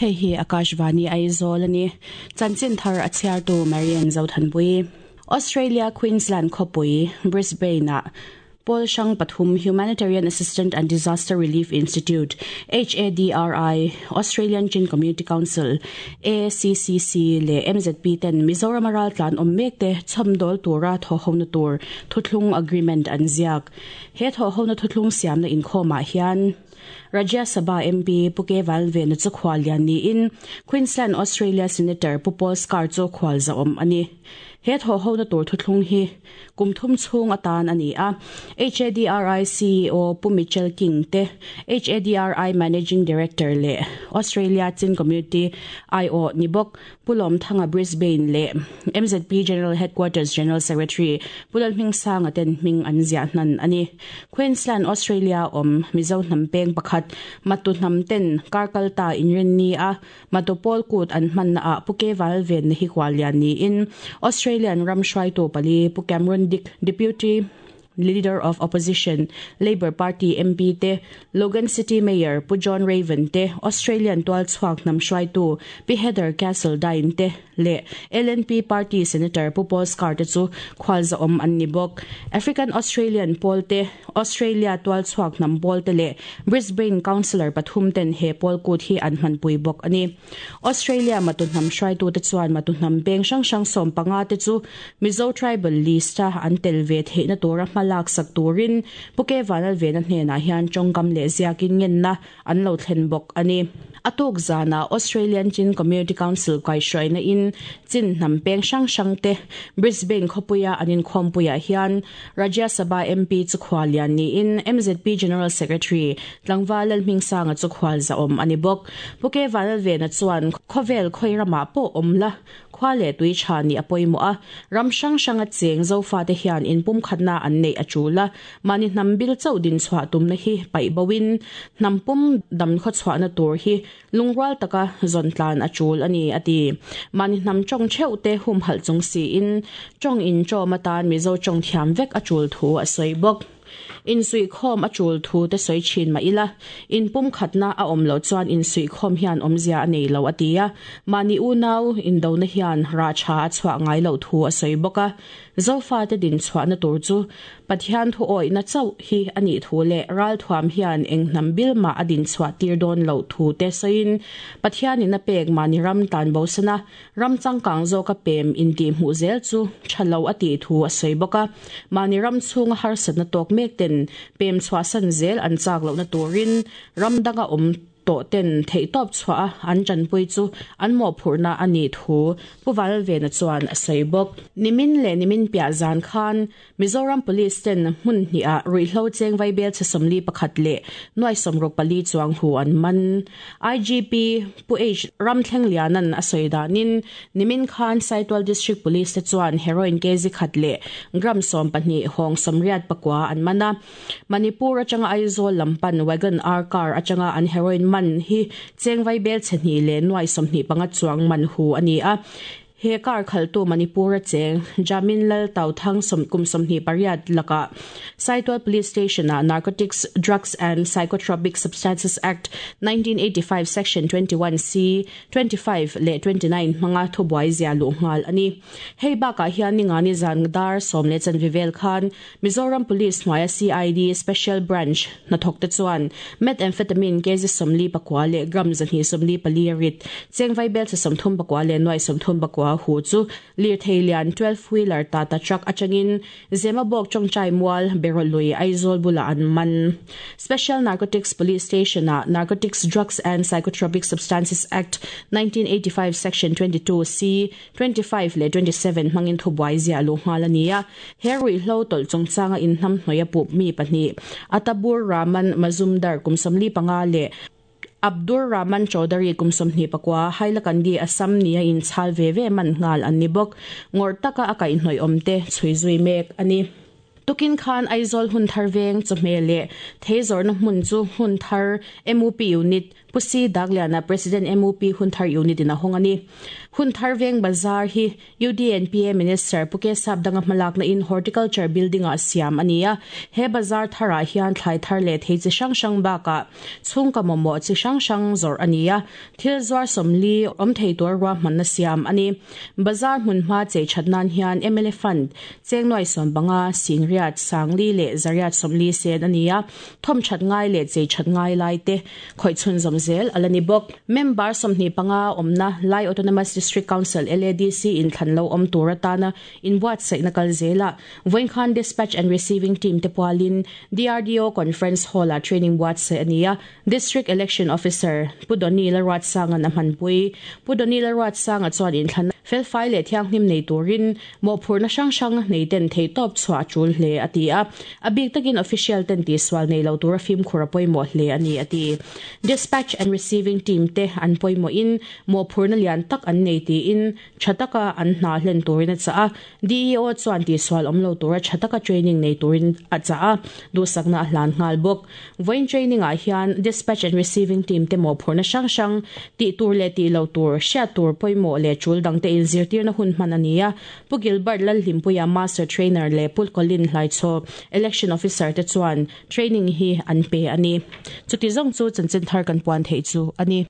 Hei hi Akashvani Aizawl a ni. Chanchin thar a chhiartu Marian Zothanpui. Australia Queensland khawpui Brisbane-ah Pawl hrang pathum Humanitarian Assistance and Disaster Relief Institute, HADRI, Australian Chin Community Council, ACCC, leh MZP ten Mizorama raltlan awm mek te chhawmdawl tura thawhhona tur thuthlung agreement an ziak. He thawhhona thuthlung siamna inkhawmah hian Rajya Sabha MP Pu K Valvena chu khual lian niin Queensland Australia Senator Pu Paul Scarr chu khual zahawm a ni. He thawhhona tur thuthlung hi kum thum chhung atan a ni a, HADRI CEO Pu Mitchell King te, HADRI Managing Director leh Australia Chin Community aiawh ni bawk Pu Lawmthanga Brisbane leh MZP General Headquarters General Secretary Pu Lalhmingsanga ten hming an ziah hnan a ni. Queensland, Australia awm Mizo hnam peng pakhat Matu hnam ten kar kal ta inrinni a Matu pawl kut an hmanna ah Pu Ke Valvenna hi kual lian niin Australian ram hruaitu pali Pu Cameron Dick, Deputy Leader of Opposition, Labor Party MP te, Logan City Mayor Pu John Raven te, Australian tualchhuak hnam hruaitu Pi Heather Castledine te leh LNP Party Senator Pu Paul Scarr te chu khualzahawm an ni bawk. African Australian pawl te, Australia tualchhuak hnam pawl te leh Brisbane Councillor pathum ten he pawl kut hi an hmanpui bawk a ni. Australia matu hnam hruaitute chuan matu hnam peng hrang hrang 15 te chu Mizo Tribal List-a an tel ve theihna tura hma laksak turin Pu Ke Vanlalvena hnenah hian tawngkam leh ziakin ngenna an lo thlen bawk a ni. A tuk zanah Australian Chin Community Council kaihhruaina in Chin hnam peng hrang hrang te Brisbane khawpuia an inkhawmpuiah hian Rajya Sabha MP chu khual lian niin MZP General Secretary Tlangval Lalhmingsanga chu khual zahawm a ni bawk. Pu Ke Vanlalvena chuan khawvel khawi ramah pawh awm la, khua leh tui tha nih a pawimawh a, ram hrang hranga cheng Zofate hian inpumkhatna an neih a tul a, mahni hnam bil chauh dinchhuah tumna hi paih boin hnam pum dam khawchhuahna tur hi lungrual taka zawn tlan a tul a ni, a ti. Mahni hnam tawng theuh te humhalh chung siin tawng intawm atan Mizo tawng thiam vek a tul thu a sawi bawk. Insuihkhawm a tul thu te sawi thin mah ila, inpumkhatna a awm loh chuan insuihkhawm hian awmzia a nei lo a ti a, mahni unau indona hian rah tha a chhuah ngai loh thu a sawi bawk a. Zofate dinchhuahna tur chu Pathian thu awihna chauh hi a nih thu leh ralthuam hian eng hnam bil mah a dinchhuah tir dawn loh thu te sawiin Pathianin a pek mahni ram tlanbosana Ram changkang zawka pem intihhmuh zel chu tha lo a tih thu a sawi bawk a. Mahni ram chhunga harsatna tawk mek ten pem chhuahsan zel an chak lohna turin ram danga awm tawh ten theihtawp chhuah a an tanpui chu an mawhphurhna a nih thu Pu Valvena chuan a sawi bawk. Nimin leh nimin piah zan khan Mizoram Police ten hmun hnih-ah ruihhlo cheng vaibel chhe 41 leh nuai 64 chuang hu an man. IGP Pu H Ramthlengliana'n a sawi danin nimin khan Saitual District Police te chuan heroin kg khat leh gram 12 hawng 84 an man a. Manipur atanga Aizawl lam pan Wagon R car atanga an heroin man hi cheng vaibel chhe hnih leh nuai 25 chuang man hu a ni a. He car khaltu Manipur-a cheng Jamin Lal Tauthang kum 28 lakah Saitual Police Station-ah Narcotics, Drugs and Psychotropic Substances Act, 1985 Section 21C, 25 leh 29 hmanga thubuai zia luh nghal a ni. Hei bakah hian ningani zan dar sawm leh chanve vel khan Mizoram Police hnuaia CID Special Branch hnathawkte chuan Methamphetamine kg 49 leh gram 244 a rit, cheng vaibelchhe 39 leh nuai 34 hu chu lirthei lian 12 wheeler Tata truck atangin Zemabawk tawngtai mual Berawlui Aizawl bulah an man. Special Narcotics Police Station-ah Narcotics Drugs and Psychotropic Substances Act, 1985 Section 22 C, 25 leh 27 hmangin thubuai ziah luh nghal a ni a. He ruihhlo tawlh chungchanga inhnamhnawih a pup mi pahnih, Atabur Rahman Mazumdar kum 45 leh Abdur Rahman Chaudhary kum 29, Hailakandi, Assam nia inchhal ve ve man nghal an ni bawk. Ngawrh taka a kaihhnawih awmte chhui zui mek a ni. Tukin khan Aizawl hun thar veng chawhmeh leh thei zawrhna hmun chu hmun thar MUP unit. Pu C Dagliana President MUP Hunthar Unit in a hawng a ni. Hunthar Veng Bazar hi UDNPA Minister Pu K Sapdanga hmalakna in Horticulture Building ah siam a ni a. He bazar tharah hian thlai thar leh thei chi hrang hrang bakah chhungkaw mamawh chi hrang hrang zawrh a ni a. Thil zuar 40 awm thei tur ruahmanna siam a ni. Bazar hmunhma chei that nan hian mla Fund cheng nuai 15, 80,000 leh 140 sen a ni a. Thawm that ngai leh chei that ngai lai te khawih chhunzawm zel a la ni bawk. Member 25 awmna Lai Autonomous District Council, LADC, inthlan lo awm tur atana inbuatsaihna kal zelah vawinkhan Dispatch and Receiving Team te pualin DRDO Conference Hall-ah training buatsaih a ni a. District Election Officer Pu Donny Lalruatsanga'n a hmanpui. Pu Donny Lalruatsanga chuan inthlanna felfai leh thianghlim nei turin mawhphurhna hrang hrang nei ten theihtawp chhuah a tul hle a ti a. A bik takin official ten tihsual nei lo tura fimkhur a pawimawh hle a ni a ti. Dispatch and Receiving Team te an pawimawhin mawhphurhna lian tak an nei tiin tha taka an hna hlen turin a chah a. DEO chuan tihsual awm lo tura tha taka training nei turin a chah a, duhsakna a hlan nghal bawk. Vawiin training ah hian Dispatch and Receiving Team te mawhphurhna hrang hrang, tih tur leh tih lo tur, hriat tur pawimawh leh tul dangte inzirtirna hun hman a ni a. Pu Gilbert Lalhlimpuia Master Trainer leh Pu Colin Hlaichhaw, Election Officer te chuan training hi an pe a ni. Chuti zawng chu chanchin thar kan puan theih chu a ni.